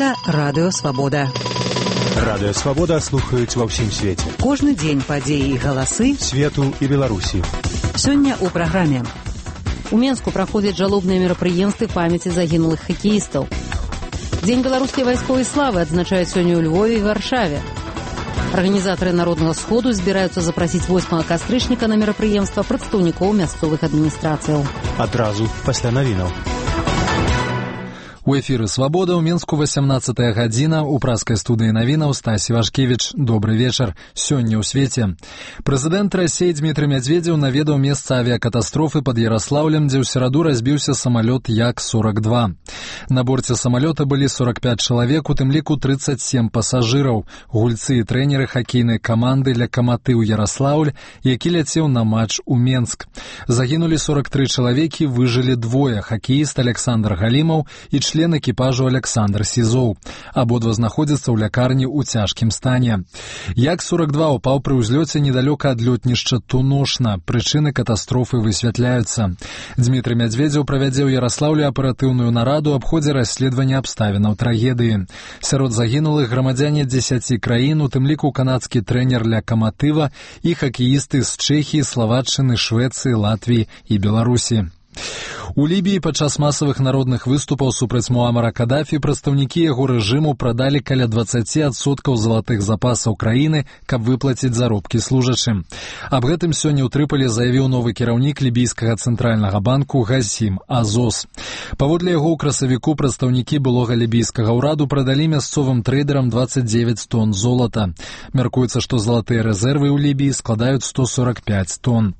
Гэта Радыё Свабода. Радыё Свабода слухаюць ва ўсім свеце. Кожны дзень падзеі і галасы свету і Беларусі. Сёння ў праграме. У Менску праходзяць жалобныя мерапрыемствы памяці загінулых хакеістаў. Дзень беларускай вайсковай славы адзначаюць сёння ў Львове і Варшаве. Арганізатары народнага сходу збіраюцца запрасіць 8 кастрычніка на мерапрыемства прадстаўнікоў мясцовых адміністрацыяў. Адразу пасля навінаў. У эфіры «Свабода» ў Менску 18-я гадзіна. У праскай студыі навінаў Стасі Вашкевіч. Добры вечар. Сёння ў свеце. Прэзідэнт Расіі Дмітрый Мядзведзеў наведаў месца авіякатастрофы пад Яраслаўлем, дзе ў сераду разбіўся самалёт Як-42. На борце самалёта былі 45 чалавек, у тым ліку 37 пасажыраў, гульцы і трэнеры хакейнай каманды «Лакаматыў Яраслаўль», які ляцеў на матч у Менск. Загінулі 43 чалавекі, выжылі двое: хакеіст Александр Галімаў і член экіпажу Александр Сізоў. Абодва знаходзяцца ў лякарні ў цяжкім стане. Як-42 упаў пры ўзлёце недалёка ад лётнішча Туношна. Прычыны катастрофы высвятляюцца. Дмітрый Мядзведзеў правядзе ў Яраслаўлі аператыўную нараду аб ходзе расследавання абставінаў трагедыі. Сярод загінулых грамадзяне 10 краін, у тым ліку канадскі трэнер Лакаматыва і хакеісты з Чэхіі, Славатчыны, Швецыі, Латвіі і Беларусі. У Лібіі падчас масавых народных выступаў супраць Муамара Кадафі прадстаўнікі яго рэжыму прадалі каля 20% залатых запасаў краіны, каб выплаціць заробкі служачым. Аб гэтым сёння ў Трыполі заявіў новы кіраўнік лібійскага цэнтральнага банку Газім Азос. Паводле яго ў красавіку прадстаўнікі былога лібійскага ўраду прадалі мясцовым трэйдерам 29 тонн золата. Мяркуецца, што залатыя рэзервы ў Лібіі складаюць 145 тонн.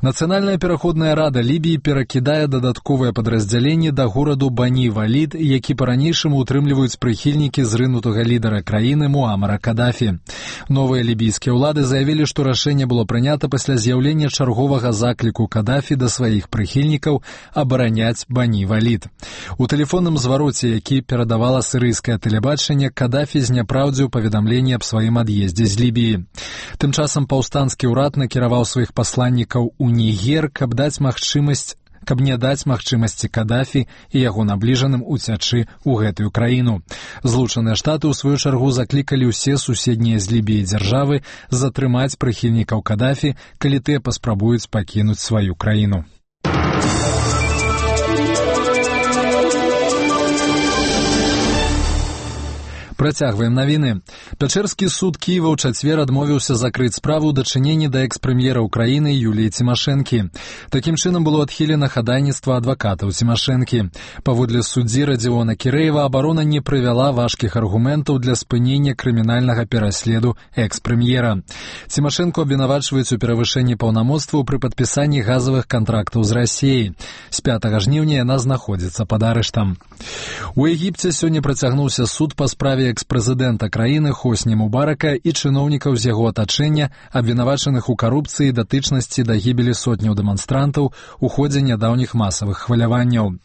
Нацыянальная пераходная рада Лібіі перакідае дадатковыя падраздзяленні да гораду Бані-Валід, які па-ранейшаму утрымліваюць прыхільнікі зрынутага лідара краіны Муамара Кадафі. Новыя лібійскія ўлады заявілі, што рашэнне было прынята пасля з'яўлення чарговага закліку Кадафі да сваіх прыхільнікаў абараняць Бані-Валід. У тэлефонным звароце, які перадавала сірыйскае тэлебачанне, Кадафі зняпраўдзіў паведамленне аб сваім ад'ездзе з Лібіі. Тым часам паўстанскі ўрад накіраваў сваіх пасланнікаў у Нігер, каб не даць магчымасці Кадафі і яго набліжаным уцячы ў гэтую краіну. Злучаныя Штаты ў сваю чаргу заклікалі ўсе суседнія з Лібіі дзяржавы затрымаць прыхільнікаў Кадафі, калі тыя паспрабуюць пакінуць сваю краіну. Працягваем навіны. Пячэрскі суд Кіева ў чацвер адмовіўся закрыць справу ў дачыненні да экс-прэм'ера ўкраіны Юліі Цімашэнкі. Такім чынам было адхілена хадайніцтва адвакатаў Цімашэнкі. Паводле суддзі Радзіона Кірэева, абарона не прывяла важкіх аргументаў для спынення крымінальнага пераследу экс-прэм'ера. Цімашэнку абвінавачваюць у перавышэнні паўнамоцтваў пры падпісанні газавых кантрактаў з Расіяй. З 5 жніўня яна знаходзіцца пад арыштам. У Егіпце сёння працягнуўся суд па справе экс-прэзідэнта краіны Хосні Мубарака і чыноўнікаў з яго атачэння, абвінавачаных у карупцыі і датычнасці да гібелі сотняў дэманстрантаў у ходзе нядаўніх масавых хваляванняў.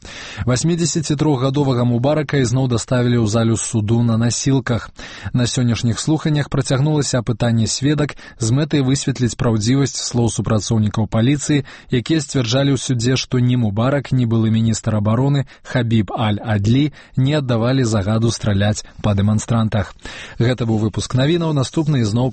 83-гадовага Мубарака ізноў даставілі ў залю суду на насілках. На сённяшніх слуханнях працягнулася апытанне сведак з мэтай высветліць праўдзівасць слоў супрацоўнікаў паліцыі, якія сцвярджалі ў судзе, што ні Мубарак, ні былы міністр абароны Хабіб Аль-Адлі не аддавалі загаду страляць па дэманстрантах. Гэта быў выпуск навінаў, наступны ізноў